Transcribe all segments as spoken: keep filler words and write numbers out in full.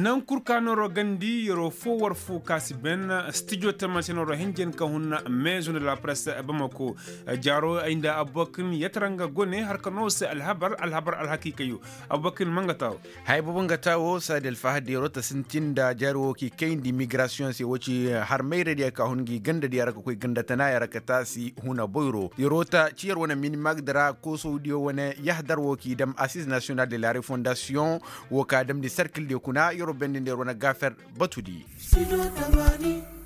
Nangu kul ka nooro gandi yeroo foo war foo ka si ben stijo tama se nooro hinjin ka hun meezo nda la presse bamako. Jaaro ay nda abubakar ni yatara nga gone har ka noo se alhabar alhabar alhakiikayo. Abubakar ni ma nga taawo. Haya boobo nga taawo saadi alfahad yeroo ta sintin nda jaari woo k'i kayndi migrasiyoŋ se woo ci har mayradiya ka hun ngi gandadiya ra ka koy ganda tanaaya ra ka taasi huna boyro yeroo ta ci yer wane minimagda ra koosowdiyo wane yahdar woo k'i dam assiz nasiyonal de la refondasiyoŋ. Woo ka damndi serkildiyo kuna yeroo bendindi yer wane gaafer batudi.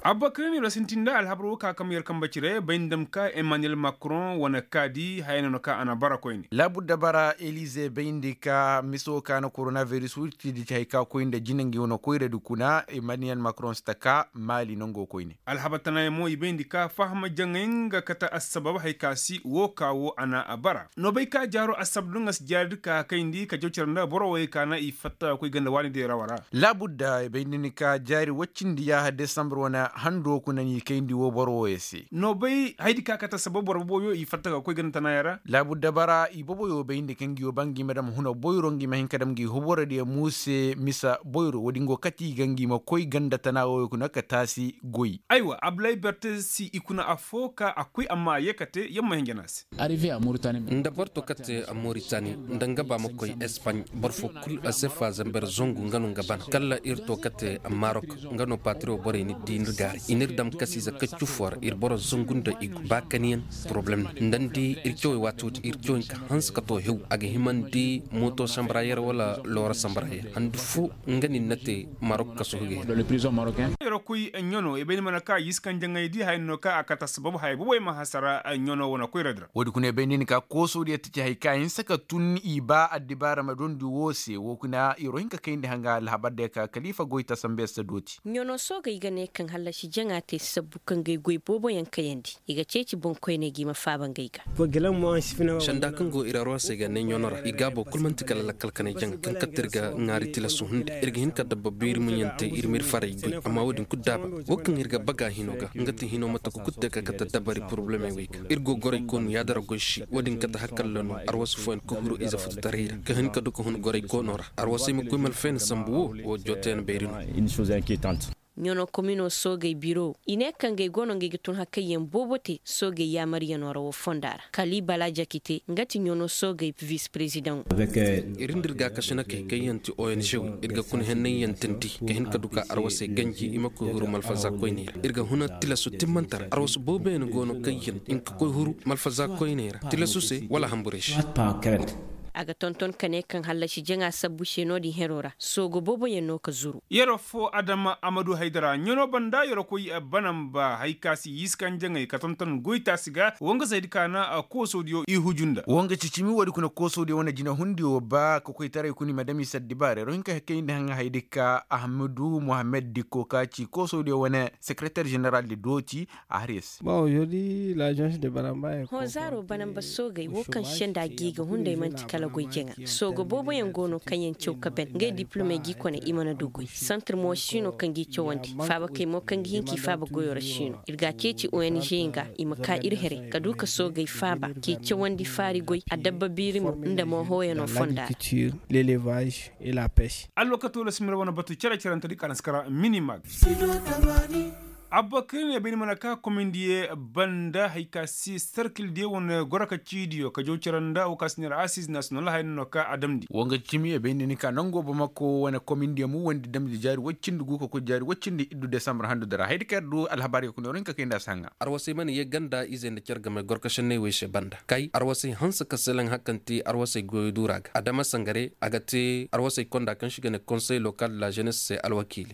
Abubakar ni ra sintin nda alhabar woo ka kam yer kambe cire bay nda dam ka emmanuel macron wane kaadi haya no na ka a na bara koyne. Laabudda bara elize bayndi ka miso ka na koronaviris wurtidi ci hay ka koy nda jina ngi wane koyradi kuna emmanuel macron si ta ka maali nango koyne. Alhabar tanaayaŋ mo i bayndi ka faham jaŋay nga kate assabab hay ka si woo ka woo a na a bara. No bay ka jaaro assabab nda nga si jaaridi ka kayndi ka jaw cere nda boro woyey ka na i fatta ga koy ganda waani deerawa ra. Laabudda i bay nda ni ka jaari woy cindi yaaha desambar wane hando kuna n'i kayndi woo boro woyey se. No bay haydi ka kate assabab boro boboyo i fatta ga koy ganda tanaayaŋ ra. Laabudda bara i boboyo bay nda ka ngi woo ba ngi ma dam huna boyro ngi ma hin ka dam ngi hoborodiyo muuse misa boyro woodin go kate i ga ngi ma koy ganda tana woyo kuna ka taasi goy. Aywa abdulahi berte si i kuna affoo ka a koy amma a yee kate yer ma hin jana se. Nda boro to kate moritani nda nga ba ma koy espagne boro foo kul a sefa zamber zangu nga no nga bana kala ir to kate marok. Nga no patiro borey ni di nir gaari i nir dam kasiize kaccu foo ra ir boro zangu nda i go ba kaniyaŋ. Poroblem no nda ni di ir cawey waati woodin ir cawey ka hanse ka to hew a ga himandi mooto sambaraayer wala loora sambaraayer handu foo. Nga ni na te marok kaso ga yer. Yeroo koy ɲano i bay ni mana ka yiskan jaŋay di haya no ka a kate assabab haya boboy ma hasara ɲano wane koyradi ra. Woodi kuna i bay ni ni ka koosodiyo ta ci hay ka hinsa ka tun i ba addibaara ma dondi woo se woo kuna yeroo hin ka kayndi hanga alhabar day ka kaliifa goy ta sambe se dooti. Ɲano soogey ga ne kaŋ hallasi jaŋa te sabbu kaŋ ga ay goy booboyaŋ kayandi i ga ceeci boŋkoyney ga i ma faaba ngey ga. Sanda kaŋ go ir arwasey ga ne ɲano ra i gaabo kul man'ti kala lakkal kanay jaŋa kaŋ katte ir ga ŋaari tilasu hunday ir ga hin ka dabba biiri muɲante ir m'ir faray goy amma woodin kul daaba. Woo kaŋ ir ga baga hino ga nga ti hino mate ka kul te ka kate dabari porobulemey wey ga ir go goray koonu yaadara goy se woodin kate hakalla no arwasu fooyaŋ ka huru ize futu taray ra ka hin ka du ka hun goray koono ra. Arwasey ma koy malfayna sambu woo woo jooteyaŋ bayri no. Ɲano komino soogey biro i ne kaŋ gay go no ngey ga tun hakayyaŋ boobo te soogey yaamaryanoo ra woo fonda ra kali bala jakite nga ti ɲano soogey vis-perezidaŋo. Ir nda ir gaakasinakey kaŋ yaŋ ti ong wey ir ga kuna henney yaŋ tindi ka hin ka du ka arwasey ganji i ma koy huru malfaza koyney ra ir ga huna tilasu timmante ra arwasu booboyaŋ go no kaŋ yaŋ hin ka koy huru malfaza koyney ra tilasu se wala hamburey se. A ga tonton ka ne kaŋ hallasi jaŋa sabbu se no-din heroo ra soogo booboyaŋ no ka zuru. Yeroo foo adama amadu haydara ɲanoo banda yeroo koy banamba hay ka si yiskan jaŋay ka tonton goytaasi ga woo nga zaydi ka na koosodiyo i huju nda woo nga cicimi woodi kuna koosodiyo wane jinahundiyo ba ka koytaray kuna i ma dam i si addibaara yeroo hin ka kayndi haŋa haydi ka ahmadu mohammed dikko ka ci koosodiyo wane sekereter ženeral di dooti. Hõ zaaro banamba soogey woo kaŋ senda gi ga hunday man'ti kala goy jaŋa soogo booboyaŋ go no kaŋ yaŋ caw ka ben ngey diplomey g'i kone i mana du goy santir mo si no kaŋ g'i cawandi faabakey mo kaŋ ga hin k'i faaba goyo ra si no ir g'a ceeci ong nga i ma ka ir here ka du ka soogey faaba k'i cawandi faari goy adabba biirimo nda mo hooyanoo fonda ra. Alwakato la simira wane batu cere-cerentedi ka na si kara minimag. Abba kayne bay ni mana ka komindiye banda hay ka si serkildiyo wane goro ka ciidiyo ka jaw cere nda wo ka si neera asiz nasiyonal haya no ka a damndi. Wo nga cimi ye bay ni ni ka nango bamako wane komindiyo mu wandi damndi jaari woy cindi gu ka koy jaari woy cindi iddu desambar handu dara haydi ka yer du alhabaariyo kuna yer hin ka kay nda a si haŋa. Arwasay mana ye ganda izey nda care game goro ka senney wey se banda kay arwasay hanse ka seleŋ hakanti arwasay goyo duura ga adama sangare a ga te arwasay konda kaŋ se i ga ne konsey lokal de la jenes se alwakiili.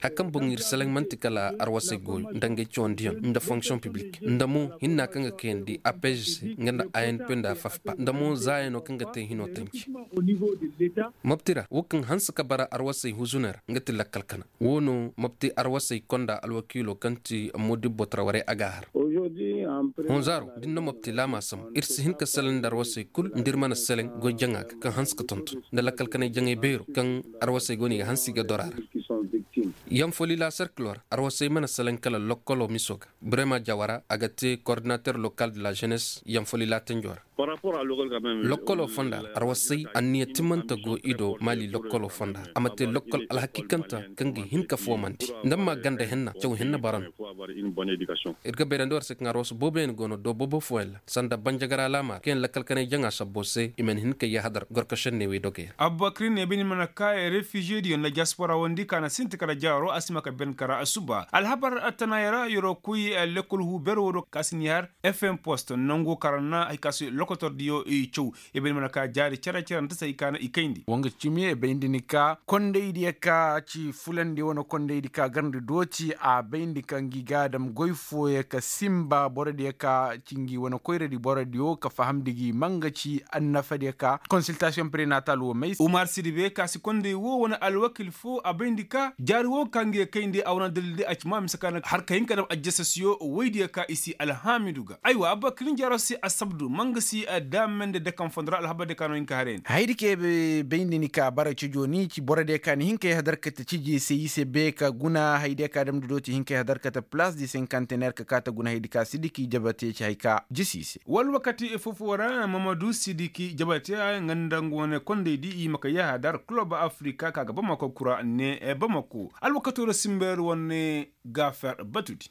Hari kaŋ boŋ ir seleŋ man'ti kala arwasey goy nda ngey cawandiyaŋ nda fonksiyoŋ piblik nda mo hinna kaŋ ga kayandi apg se nga nda anp nda fafpa nda mo zaayano kaŋ ga te hino tanci. Mopti ra wo kaŋ hanse ka bara arwasey huzuney ra nga ti lakkal kana wo no mopti arwasey konda alwakiilo kaŋ ti modibbo tara warey a ga a har. Honzaaro da ni na mopti laama sambu ir si hin ka seleŋ nda arwasey kul nda ir mana seleŋ goy jaŋa ga kaŋ hanse ka tonton nda lakkal kanay jaŋay beero kaŋ arwasey go no i ga hanse i ga dor a ra. Yanfolila serkilo ra arwasey mana seleŋ kala lokkolo miso ga brema jawara a ga te kordinater lokal de la jenes yanfolila tenjo ra. Lokkoloo fonda ra arwasay anniya timanta go i do maali lokkoloo fonda ra a ma te lokkol alhakiikanta kaŋ ga hin ka foomandi nda ma ganda hinna caw hinna bara no. Ir ga bayrandi war se kaŋ arwasu booboyaŋ go no do boobo fooyaŋ ra sanda banjagara laama ra kaŋ yaŋ lakkal kanay jaŋa sabbo se i mana hin ka yahadar gorko šenney wey dogey ra. Abba kiri ne bay ni mana ka refiziye diyo nda diyaspora wondi ka na sinti kala jaaro a si ma ka ben kara a suba alhabar attanaayaŋ ra yeroo koy lekkol huu beero wo do ka si ni har. Fm post nangu kaŋ ra na hari ka se lokotor diyo i caw i bay ni mana ka jaari cere cere nda se hari ka na i kayndi. Wanga cimi i bayndi ni ka kondaydiyo ka ci fulandiyo wane kondaydi ka garndi dooti a bayndi ka ngi ga a dam goy fooyaŋ ka sinba borodiyo ka ci ngi wane koyradi borodiyo ka fahamndi gi ma nga ci annafadiyo ka konsiltasiyoŋ prenatal wo may se umar sidibe ka si konday wo wane alwakil fo a bayndi ka jaari wo ka ngi ga kayndi a wane dalil day a ci ma mise ka na har ka hin ka dam ajjasasiyo woydiyo ka i si alhaamidu ga aywa abba kiliŋ jaaro se assabdu ma nga si daamandi dakan fondo ra alhabardiyo ka no hin ka haray ni. Hayadi ka bayndi ni ka bara cajoo ni ci borodiyo ka ni hin ka yahadar kate ciji se i se be ka guna hayadiyo ka damndi dooti hin ka yahadar kate palaas di sinkanteneer ka kaate guna hayadi ka sidiki jabate ci hari ka jisi i se wala wakati foo-foo ra mamadu sidiki jabate nga nda nga wane kondaydi i ma ka yahadar kulob afrika ka ga bamako kura ne bamako alwakatoo ra sinbeer wane gaafer batudi.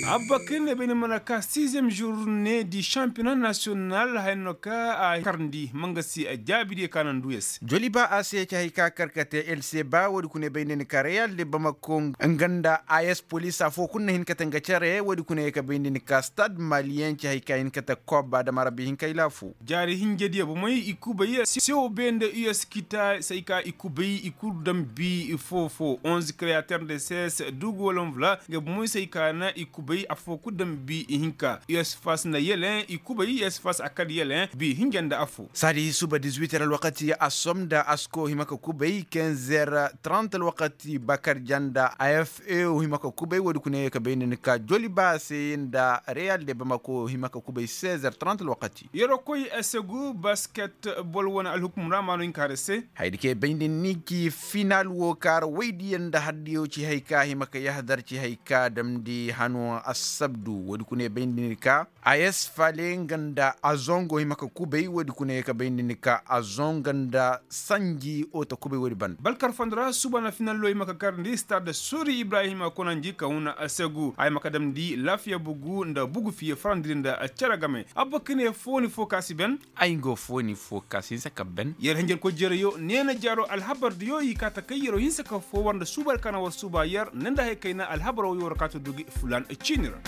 Abba kiri ne bay ni mana ka siiziyem žurne di šampiyona nasiyonal haya no ka a karndi ma nga si jaabidiyo ka na nduuya se. Joliba a se ci hari ka kar ka te el se ba woodi kuna bay ni ka reyal de bamako nga nda a s polis afoo kul na hin ka te nga cere woodi kuna ye ka bay ni ka stad maliyen ci hari ka hin ka te kob adama rabbi hinkay laafu. Jaari hinjediyo bomey i kubay sew be nda u s kita se ay ka i kubay i kul daŋ bi foo-foo onze kreyater nda ses dugu walanvula nga bomey se ay ka na i kubay afoo kul daŋ bi i hinka u s fas nda yeleŋ i kubay u s fas a kal yeleŋ bi hinja nda afoo. Saadi suba dizuwiter alwakati asom nda asko hima ka kubay kenzer trant alwakati bakar ja nda a f e hima ka kubay woodi kuna ye ka bay nda ni ka joliba se nda reyal de bamako hima ka kubay sezer trant alwakati. Yeroo koy segu basket bol wane alhukum ra maano hinka hara se. Hayadi ka ye bayndi ni ci final wo kaara woydiyo nda hardiyo ci hay ka hima ka yahadar ci hay ka damndi hano assabdu woodi kuna ye bayndi ni ka a s fale nga nda a zongo hima ka kubay woodi kuna ye ka bayndi ni ka a zongo nda sanji oto kubay woodi ban. Balkar fondo ra suba na finallo hima ka karndi stad sori ibrahima konanji ka huna segu a hima ka damndi lafiya bugu nda bugu fiye farandiri nda cere game abba ka ne fooni fo ka si ben. Ay nga fooni fo ka si hinsa ka ben yer hinjarkoy jereyo neena jaaro alhabar diyo i kaa ta kay yeroo hinsa ka fo war nda suuba ra ka na war suuba yer ne nda hay kayna alhabar wo yo war kaa ta du gi fulan ciini ra.